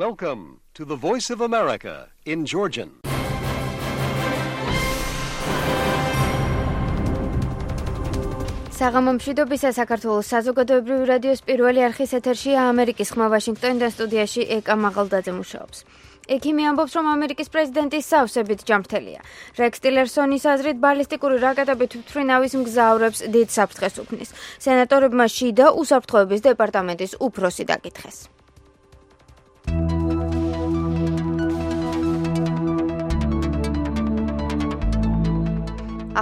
Welcome to the Voice of America in Georgian. საღამომშვიდობისა საქართველოს საზოგადოებრივი რადიოს პირველი არხის ეთერშია ამერიკის ხმა ვაშინგტონიდან სტუდიაში ეკა მაღალდაძე მუშაობს. ექიმი ამბობს, რომ ამერიკის პრეზიდენტის სავსებით ჯანმრთელია. რექს ტილერსონის აზრით ბალისტიკური რაკეტები თვითმფრინავის მგზავრებს დიდ საფრთხეს უქმნის. სენატორებმა შიდა უსაფრთხოების დეპარტამენტის უფროსი დაკითხეს.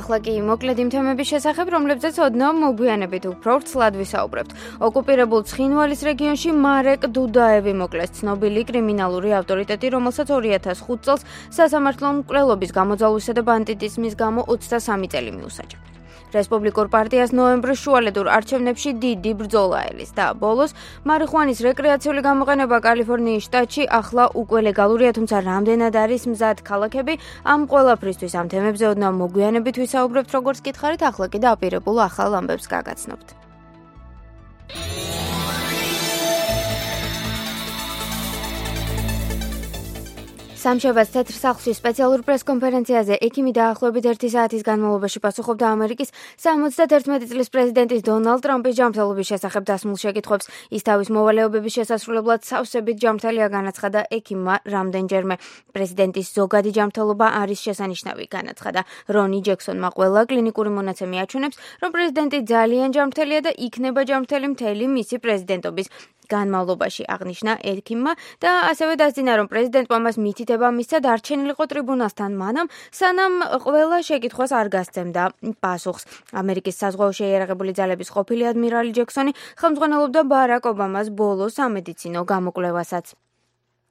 ახლა კი მოკლედ იმ თემების შესახებ, რომლებზეც ოდნავ მოგვიანებით უფრო ვრცლად ვისაუბრებთ. ოკუპირებულ ცხინვალის რეგიონში მარეკ დუდაევი მოკლეს, ცნობილი კრიმინალური ავტორიტეტი, რომელსაც 2005 წელს სასამართლო მკვლელობის გამოძალვისა და ბანდიტიზმის გამო 23 წელი მიუსაჯა. რესპუბლიკურ პარტიას ნოემბრის შუალედურ არჩევნებში დიდი ბრძოლა ელის და ბოლოს მარიხუანის რეკრეაციული გამოყენება კალიფორნიის შტატში ახლა უკვე ლეგალურია, თუმცა რამდენად არის მზად ქალაქები, ამ ყველაფრისთვის ამ თემებზე ოდნავ მოგვიანებით ვისაუბრებთ, როგორც გითხარით, ახლა კი დაპირებულ ახალ ამბებს გაგაცნობთ. სამშაბათს თეთრ სახლში სპეციალურ პრესკონფერენციაზე ექიმი დაახლოებით 1 საათის განმავლობაში პასუხობდა ამერიკის 71 წლის პრეზიდენტის დონალდ ტრამპის ჯანმრთელობის შესახებ დასმულ შეკითხვებს. ის თავის მოვალეობების შესასრულებლად სავსებით ჯანმრთელია განაცხადა ექიმმა რამდენჯერმე. პრეზიდენტის ზოგადი ჯანმრთელობა არის შესანიშნავი, განაცხადა. რონი ჯექსონმა ყველა კლინიკური მონაცემი აჩვენებს, რომ პრეზიდენტი ძალიან ჯანმრთელია და იქნება ჯანმრთელი მთელი მისი პრეზიდენტობის განმავლობაში, აღნიშნა ექიმმა და ასევე დასძინა, რომ პრეზიდენტმა მას მითითება მისცა დარჩენილიყო ტრიბუნალთან მანამ, სანამ ყველა შეკითხვას არ გასცემდა პასუხს. ამერიკის საზღვაო შეიარაღებული ძალების ყოფილი ადმირალი ჯექსონი ხელმძღვანელობდა ბარაკ ობამას ბოლო სამედიცინო გამოკვლევასაც.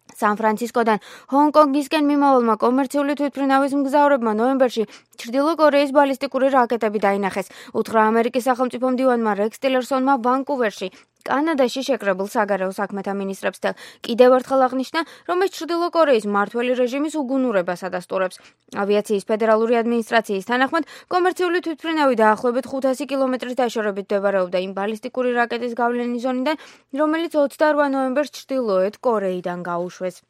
სან-ფრანცისკოდან ჰონგ-კონგისკენ მიმავალმა კომერციული თვითმფრინავის მგზავრებმა ნოემბერში ჩრდილო კორეის ბალისტიკური რაკეტები დაინახეს. უთხრა ამერიკის სახელმწიფო მდივანმა რექს ტილერსონმა ვანკუვერში კანადაში შეკრებულ საგარეო საქმეთა მინისტრებს კიდევ ერთხელ აღნიშნა, რომ ეს ჩრდილო კორეის მმართველი რეჟიმის უგუნურებას ადასტურებს. ავიაციის ფედერალური ადმინისტრაციის თანახმად, კომერციული თვითმფრინავი დაახლოებით 500 კილომეტრის დაშორებით მდებარეობდა იმ ბალისტიკური რაკეტის გავლენის ზონიდან, რომელიც 28 ნოემბერს ჩრდილოეთ კორეიდან გაუშვეს.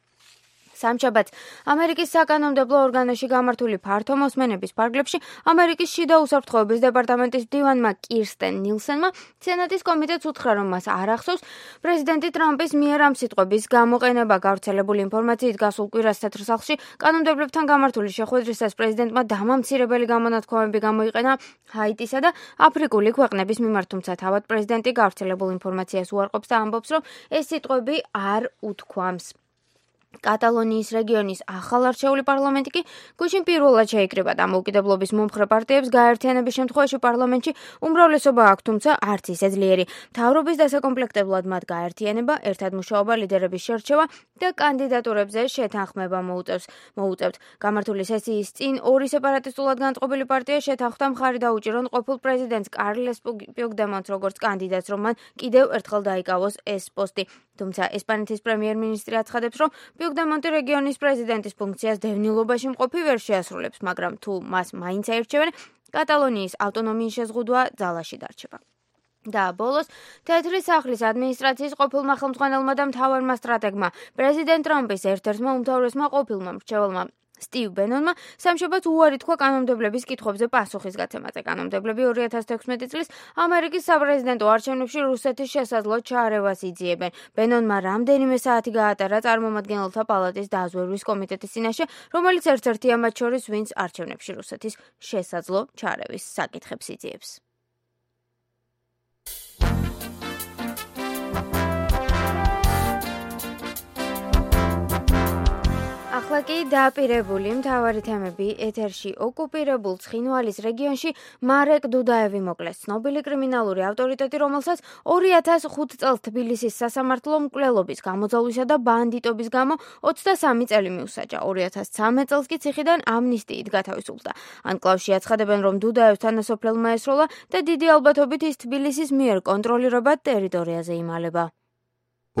სამშაბათს ამერიკის საკანონმდებლო ორგანოში გამართული ფართო მოსმენების ფარგლებში ამერიკის შიდა უსაფრთხოების დეპარტამენტის მდივანმა კირსტენ ნილსენმა სენატის კომიტეტს უთხრა, რომ მას არ ახსოვს პრეზიდენტი ტრამპის მიერ ამ სიტყვების გამოყენება. გავრცელებული ინფორმაციით გასულ კვირას თეთრ სახლში კანონმდებლებთან გამართული შეხვედრისას პრეზიდენტმა დამამცირებელი გამონათქვამები გამოიყენა ჰაიტისა და აფრიკული ქვეყნების მიმართ, თუმცა თავად პრეზიდენტი გავრცელებულ ინფორმაციას უარყოფს და ამბობს, რომ ეს სიტყვები არ უთქვამს. კატალონიის რეგიონის ახალარჩეული პარლამენტი კი გუშინ პირველად შეიკრიბა დამოუკიდებლობის მომხრე პარტიებს გაერთიანების შემთხვევაში პარლამენტში უმრავლესობა აქვს, თუმცა არც ისე ძლიერი. მთავრობის დასაკომპლექტებლად მათ გაერთიანება, ერთად მუშაობა, ლიდერების შერჩევა და კანდიდატურებზე შეთანხმება მოუწევთ. გამართული სესიის წინ ორი სეპარატისტულად განწყობილი პარტია შეთანხმდა მხარი დაუჭირონ ყოფილ პრეზიდენტს კარლეს პუიგდემონტს როგორც კანდიდატს, რომ მან კიდევ ერთხელ დაიკავოს ეს პოსტი. თუმცა ესპანეთის პრემიერ-მინისტრი აცხადებს, რომ პუიგდემონტი რეგიონის პრეზიდენტის ფუნქციას დევნილობაში მყოფი ვერ შეასრულებს, მაგრამ თუ მას მაინც აირჩევენ, კატალონიის ავტონომიის შეზღუდვა ძალაში დარჩება. და ბოლოს თეთრი სახლის ადმინისტრაციის ყოფილმა ხელმძღვანელმა და მთავარმა სტრატეგმა პრეზიდენტ ტრამპის ერთ-ერთმა უმთავრესმა ყოფილმა მრჩეველმა სტივ ბენონმა სამშაბათს უარი თქვა კანონმდებლების კითხვებზე პასუხის გაცემაზე. კანონმდებლები 2016 წლის ამერიკის საპრეზიდენტო არჩევნებში რუსეთის შესაძლო ჩაარევას იძიებენ. ბენონმა რამდენიმე საათი გაატარა წარმომადგენელთა პალატის დაზვერვის კომიტეტის წინაშე, რომელიც ერთ-ერთია მათ შორის, ვინც არჩევნებში რუსეთის შესაძლო ჩაარევის საკითხებს იძიებს. ახლა კი დაპირებული მთავარი თემები ეთერში. ოკუპირებულ ცხინვალის რეგიონში მარეკ დუდაევი მოკლეს, ცნობილი კრიმინალური ავტორიტეტი, რომელსაც 2005 წელს თბილისის სასამართლო მკვლელობის გამოძალვისა და ბანდიტობის გამო 23 წელი მიუსაჯა. 2013 წელს კი ციხიდან ამნისტიით გათავისუფლდა. ანკლავში აცხადებენ, რომ დუდაევს თანასოფლელმა ესროლა და დიდი ალბათობით ის თბილისის მიერ კონტროლირებად ტერიტორიაზე იმალება.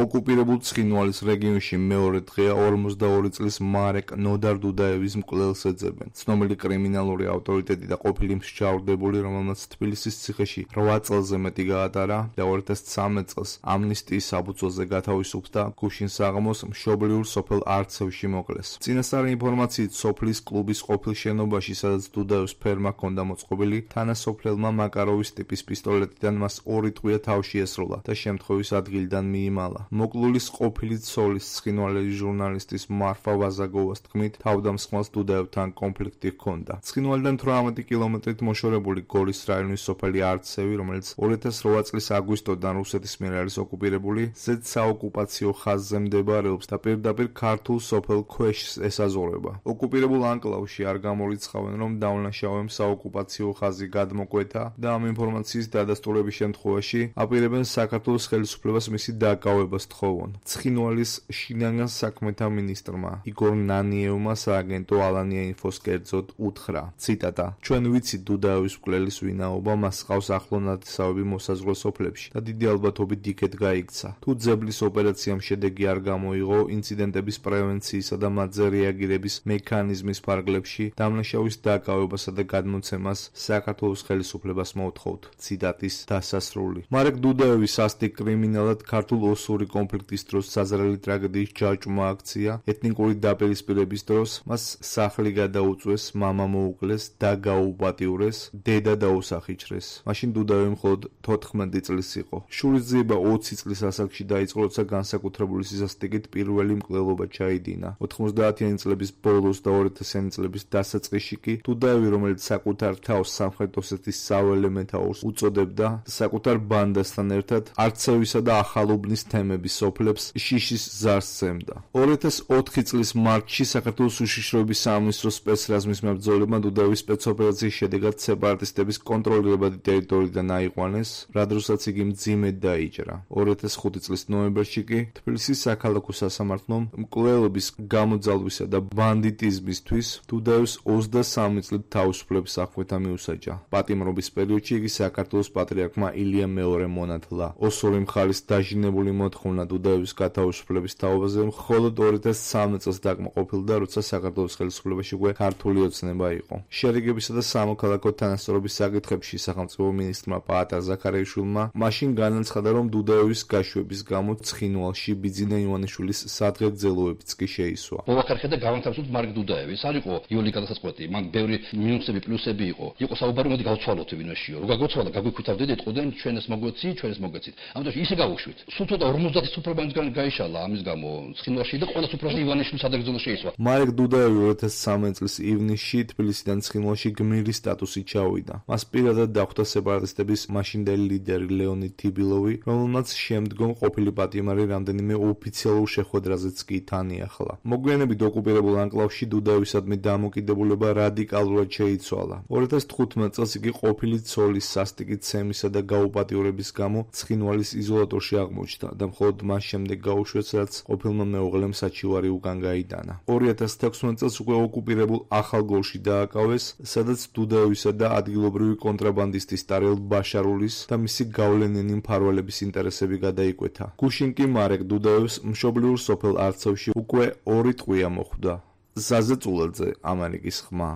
ოკუპირებულ ცხინვალის რეგიონში მეორე დღეა 42 წლის მარეკ ნოდარ დუდაევის მკვლელს ეძებენ. ცნობილი კრიმინალური ავტორიტეტი და ყოფილი მსჯავრდებული, რომელმაც თბილისის ციხეში 8 წელზე მეტი გაატარა და 2013 წელს ამნისტიის საბუთოზე გათავისუფლდა და გუშინ საღამოს მშობლიურ სოფელ არცევში მოკლეს. წინასწარი ინფორმაციით სოფლის კლუბის ყოფილ შენობაში, სადაც დუდაევის ფერმა ჰქონდა მოწყობილი, თანასოფლელმა მაკაროვის ტიპის პისტოლეტიდან მას 2 ტყვია თავში ესროლა და შემთხვევის ადგილიდან მიიმალა. მოკლულის ყოფილი ცოლის ცხინვალის ჟურნალისტის მარფა ვაზაგოვას თქმით, თავდამსხმელს დუდაევთან კონფლიქტი ჰქონდა. ცხინვალიდან 18 კილომეტრით მოშორებული გორის რაიონის სოფელი არცევი, რომელიც 2008 წლის აგვისტოდან რუსეთის მიერ არის ოკუპირებული, ზედ საოკუპაციო ხაზზე მდებარეობს და პირდაპირ ქართულ სოფელ ქვეშს ესაზღვრება. ოკუპირებულ ანკლავში არ გამორიცხავენ, რომ დაუნაშავემ საოკუპაციო ხაზი გადმოკვეთა და ამ ინფორმაციის დადასტურების შემთხვევაში აპირებენ საქართველოს ხელისუფლებას მისი დაკავებას თხოვონ. ცხინვალის შინაგან საქმეთა მინისტრმა იგორ ნანიევმა სააგენტო ალანია ინფოს კერძოდ უთხრა, ციტატა: ჩვენ ვიცით დუდაევის მკვლელის ვინაობა, მას ჰყავს ახლო ნათესავები მოსაზღვრე სოფლებში და დიდი ალბათობით იქეთ გაიქცა. თუ ძებლის ოპერაციამ შედეგი არ გამოიღო, ინციდენტების პრევენციისა და მათზე რეაგირების მექანიზმის ფარგლებში დამნაშავის დაკავებასა და გადმოცემას საქართველოს ხელისუფლებას მოვთხოვთ. ციტატის დასასრული. მარეკ დუდაევი სასტიკ კრიმინალად ქართულ ოსური კონფლიქტის დროს საზრელი ტრაგედიის ჯაჭვმა აქცია, ეთნიკური დაპირისპირების დროს მას სახლი გადაუწვეს, მამა მოუკლეს, და გაუპატიურეს, დედა დაუსახიჩრეს. მაშინ დუდაევი მხოლოდ 14 წლის იყო. შურისძიება 20 წლის ასაკში დაიწყო, როცა განსაკუთრებული სისასტიკით პირველი მკვლელობა ჩაიდინა. 90-იანი წლების ბოლოს და 2000-იანი წლების დასაწყისში კი დუდაევი, რომელიც საკუთარ თავს სამხრეთ ოსეთის საველე მეთაურს უწოდებდა, საკუთარ ბანდასთან ერთად არცევისა და ახალუბნის თემების სოფლებს შიშის ზარს სცემდა. 2004 წლის მარტში საქართველოს უშიშროების სამინისტროს სპეცრაზმის მებრძოლებმა დუდაევის სპეცოპერაციის შედეგად სეპარატისტების კონტროლირებადი ტერიტორიიდან აიყვანეს, რა დროსაც იგი მძიმედ დაიჭრა. 2005 წლის ნოემბერში კი თბილისის საქალაქო სასამართლომ მკვლელობის გამოძალვისა და ბანდიტიზმისთვის დუდაევს 23 წლით თავისუფლების აღკვეთა მიუსაჯა. პატიმრობის პერიოდში იგი საქართველოს პატრიარქმა ილია მეორე მონათლა. ოსური მხარის დაჟინებული მოთხოვნა დუდაევის გათავისუფლების თაობაზე მხოლოდ 2013 წელს დაკმაყოფილდა, როცა საქართველოს ხელისუფლებაში უკვე ქართული ოცნება იყო. შერიგებისა და სამოქალაქო თანასწორობის საკითხებში სახელმწიფო მინისტრმა პაატარ ზაქარიაშვილმა მაშინ განაცხადა, რომ დუდაევის გაშვების გამო ცხინვალში ბიძინა ივანიშვილის სადღეგრძელოებიც კი შეისვა. მოვახერხე და გავანთავისუფლოთ მარეკ დუდაევის. არ იყო იოლი გადასაწყვეტი, მაგ ბევრი მინუსები, პლუსები იყო. იყო საუბარი, მოდი გავცვალოთ ვინმეშიო. რო გაგოცვალა, გაგვიქვითავდეთ, ეტყოდნენ ჩვენ ეს მოგვეცი, ჩვენ ეს მოგეცით. ამიტომ ისე გავუშვით. სულ ცოტა 50 სუფრება მისგან გაიშალა ამის გამო ცხინვალში და ყველა სუფრაზე ივანიშვილის სადღეგრძელო შეისვა. მარეკ დუდაევი 2013 წლის ივნისში თბილისიდან ცხინვალში გმირის სტატუსით ჩავიდა. მას პირადად დახვდა სეპარატისტების მაშინდელი ლიდერი ლეონიდ თიბილოვი, რომელმაც შემდგომ ყოფილი პატიმარი რამდენიმე ოფიციალურ შეხვედრაზეც კი თანიახლა. მოგვიანებით ოკუპირებულ ანკლავში დუდაევისადმი დამოკიდებულება რადიკალურად შეიცვალა. 2015 წელს იგი ყოფილი ცოლის სასტიკით ცემისა და გაუპატიურების გამო ცხინვალის იზოლატორში აღმოჩნდა და მხოლოდ მას შემდეგ გაუშვეს, რაც ყოფილმა მეუღლემ საჩივარი უკან გაიტანა. 2016 წელს უკვე ოკუპირებულ ახალგორში დააკავეს, სადაც დუდაევისა და ადგილობრივი კონტრაბანდისტის ტარელ ბაშარულის და მისი გავლენიანი მფარველების ინტერესები გადაიკვეთა. გუშინ კი მარეკ დუდაევს მშობლიურ სოფელ არცევში უკვე 2 ტყვია მოხვდა. ზაზე წულაძე, ამერიკის ხმა.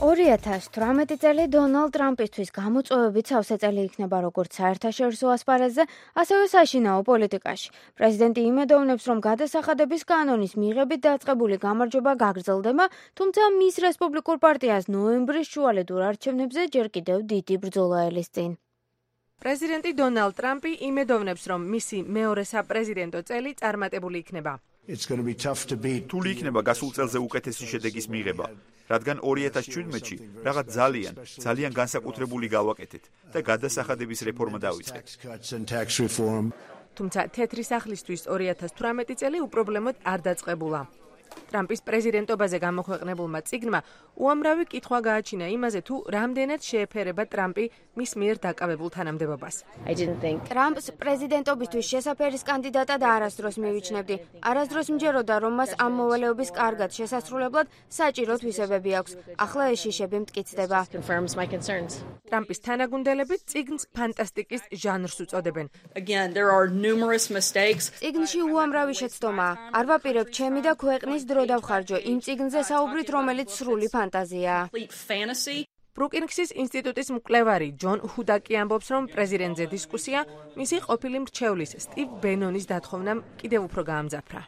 2018 წელი დონალდ ტრამპისთვის გამოწვევებით სავსე წელი იქნება როგორც საერთაშორისო ასპარეზზე, ასევე საშინაო პოლიტიკაში. პრეზიდენტი იმედოვნებს, რომ გადასახადების კანონის მიღებით დაწყებული გამარჯვება გაგრძელდება, თუმცა მის რესპუბლიკურ პარტიას ნოემბრის შუალედურ არჩევნებზე ჯერ კიდევ დიდი ბრძოლა ელისწინ. პრეზიდენტი დონალდ ტრამპი იმედოვნებს, რომ მისი მეორე საპრეზიდენტო წელი წარმატებული იქნება. რთული იქნება გასულ წელზე უკეთესი შედეგის მიღება, რადგან 2017-ში რაღაც ძალიან განსაკუთრებული გავაკეთეთ და გადასახადების რეფორმა დავიწყეთ. თუმცა თეთრი სახლისთვის 2018 წელი უპრობლემოდ არ დაწყებულა. ტრამპის პრეზიდენტობაზე გამოქვეყნებულმა წიგნმა უამრავი კითხვა გააჩინა იმაზე, თუ რამდენად შეეფერება ტრამპი მის მიერ დაკავებულ თანამდებობას. ტრამპს პრეზიდენტობისთვის შესაფერის კანდიდატად არასდროს მივიჩნევდი. არასდროს მჯეროდა, რომ მას ამ მოვალეობის კარგად შესასრულებლად საჭირო თვისებები აქვს. ახლა ეს შიშები მტკიცდება. ტრამპის თანაგუნდელები წიგნს ფანტასტიკის ჟანრს უწოდებენ. წიგნში უამრავი შეცდომაა. არ ვაპირებ ჩემი და ქვეყნის დრო დავხარჯო იმ წიგნზე საუბრით, რომელიც სრული ფანტაზიაა. ბრუკინგსის ინსტიტუტის მკვლევარი ჯონ ჰუდაკი ამბობს, რომ პრეზიდენტზე დისკუსია მისი ყოფილი მრჩევლის სტივ ბენონის დათხოვნამ კიდევ უფრო გაამძაფრა.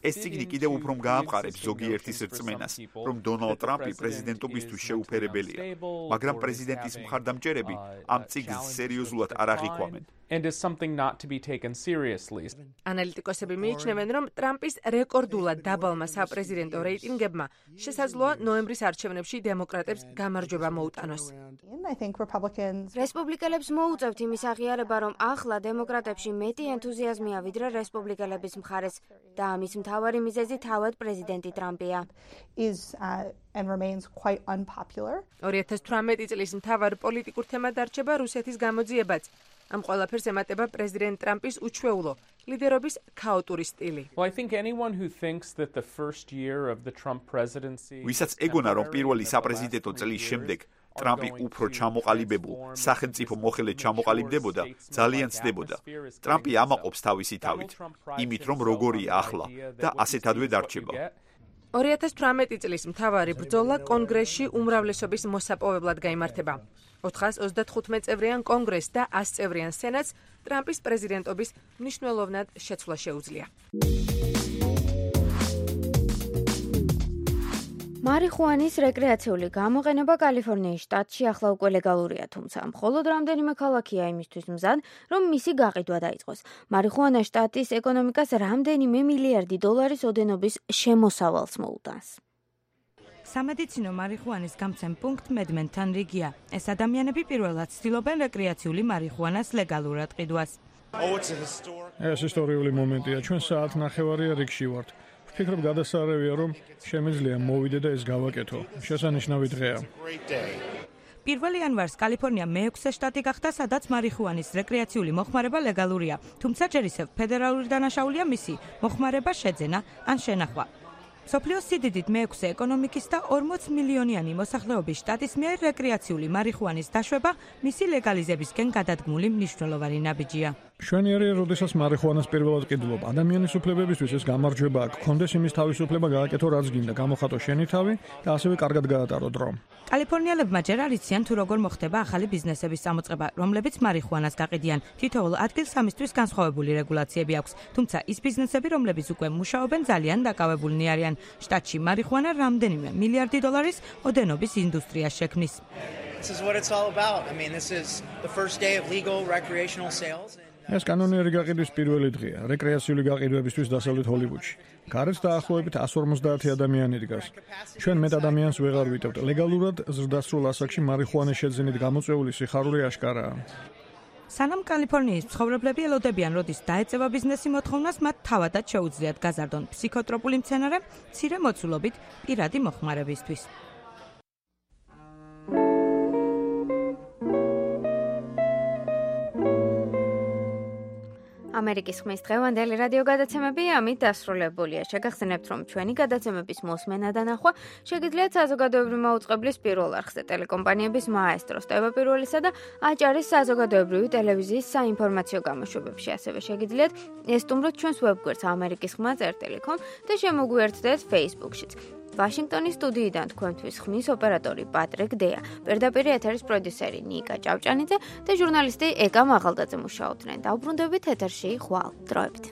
ეს წიგნი კიდევ უფრო გაამყარებს ზოგიერთის რწმენას, რომ დონალდ ტრამპი პრეზიდენტობისთვის შეუფერებელია, მაგრამ პრეზიდენტის მხარდამჭერები ამ წიგნს სერიოზულად არ აღიქვამენ. ანალიტიკოსები მიიჩნევენ, რომ ტრამპის რეკორდულად დაბალმა საპრეზიდენტო რეიტინგებმა შესაძლოა ნოემბრის არჩევნებში დემოკრატებს გამარჯვება მოუტანოს. რესპუბლიკელებს მოუწევთ იმის აღიარება, რომ ახლა დემოკრატებში მეტი ენთუზიაზმია ვიდრე რესპუბლიკელების მხარეს და ამის მთავარი მიზეზი თავად პრეზიდენტი ტრამპია. 2018 წლის მთავარ პოლიტიკურ თემად დარჩება რუსეთის გამოძიებაც. ამ ყველაფერს ემატება პრეზიდენტ ტრამპის უჩვეულო ლიდერობის ქაოტური სტილი. ვისაც ეგონა, რომ პირველი საპრეზიდენტო წლის შემდეგ ტრამპი უფრო ჩამოყალიბებულ სახელმწიფო მოხელედ ჩამოყალიბდებოდა, ძალიან ცდებოდა. ტრამპი ამაყობს თავისი თავით, იმით რომ როგორია ახლა და ასეთადვე დარჩება. 2018 წლის მთავარი ბრძოლა კონგრესში უმრავლესობის მოსაპოვებლად გაიმართება. 435 წევრიან კონგრესს და 100 წევრიან სენატს ტრამპის პრეზიდენტობის მნიშვნელოვნად შეცვლა შეუძლია. მარიხუანის რეკრეაციული გამოყენება კალიფორნიის შტატში ახლა უკვე ლეგალურია, თუმცა მხოლოდ რამდენიმე ქალაქია იმისთვის მზად, რომ მისი გაყიდვა დაიწყოს. მარიხუანა შტატის ეკონომიკას რამდენიმე მილიარდი დოლარის ოდენობის შემოსავალს მოუტანს. სამედიცინო მარიხუანის გამცემ პუნქტ მედმენთან რიგია. ეს ადამიანები პირველად ცდილობენ რეკრეაციული მარიხუანას ლეგალურად ყიდვას. ეს ისტორიული მომენტია. ჩვენ საათ ნახევარია რიგში ვართ. ვფიქრობ, გადასარევია, რომ შემიძლია მოვიდე და ეს გავაკეთო. შესანიშნავი დღეა. 1 იანვარს კალიფორნია მე-6 შტატი გახდა, სადაც მარიხუანის რეკრეაციული მოხმარება ლეგალურია, თუმცა ჯერ ისევ ფედერალური დანაშაულია მისი მოხმარება შეძენა ან შენახვა. სოფლიოს სიდიდით მე-6 ეკონომიკის და 40 მილიონიანი მოსახლეობის შტატის მიერ რეკრეაციული მარიხუანის დაშვება მისი ლეგალიზებისკენ გადადგმული მნიშვნელოვანი ნაბიჯია. მშვენიერია, როდესაც მარიხუანას პირველად ყიდულობ. ადამიანის უფლებებისთვის ეს გამარჯვება აქვს. კონდეს იმის თავისუფლება გააკეთო, რაც გინდა, გამოხატო შენი თავი და ასევე კარგად გაატარო დრო. კალიფორნიელებმა ჯერ არ იციან, თუ როგორ მოხდება ახალი ბიზნესების წამოწყება, რომლებიც მარიხუანას გაყიდიან. თითოეულ ადგილს ამისთვის განსხვავებული რეგულაციები აქვს, თუმცა ის ბიზნესები, რომლებიც უკვე მუშაობენ, ძალიან დაკავებულნი არიან. შტატში მარიხუანა რამდენიმე მილიარდი დოლარის ოდენობის ინდუსტრიას შექმნის. ეს კანონიერი გაყიდვის პირველი დღეა, რეკრეაციული გაყიდვებისთვის დასავლეთ ჰოლივუდში. გარეთ დაახლოებით 150 ადამიანი დგას. ჩვენ მეტ ადამიანს ვეღარ ვიტევთ. ლეგალურად ზრდასრულ ასაკში მარიხუანის შეძენით გამოწვეული სიხარული აშკარაა. სანამ კალიფორნიის მცხოვრებლები ელოდებიან, როდის დაეწევა ბიზნესი მოთხოვნას, მათ თავადაც შეუძლიათ გაზარდონ ფსიქოტროპული მცენარე მცირე მოცულობით პირადი მოხმარებისთვის. ამერიკის ხმის დღევანდელი რადიო გადაცემები ამით დასრულებულია. შეგახსენებთ, რომ ჩვენი გადაცემების მოსმენა და ნახვა შეგიძლიათ საზოგადოებრივი მაუწყებლის პირველ არხზე, ტელეკომპანიების მაესტროს, ტევა პირველისა და აჭარის საზოგადოებრივი ტელევიზიის საინფორმაციო გამოშვებებში. ასევე შეგიძლიათ ესტუმროთ ჩვენს ვებგვერდს amerikiskhma.com და შემოგვიერთდეთ Facebook-შიც. ვაშინგტონის სტუდიიდან თქვენთვის ხმის ოპერატორი პატრიკ დეა, პირდაპირ ეთერის პროდიუსერი ნიკა ჭავჭანიძე და ჟურნალისტი ეკა მაღალდაძე მუშაობდნენ. დაუბრუნდებით ეთერში ხვალ დროებით.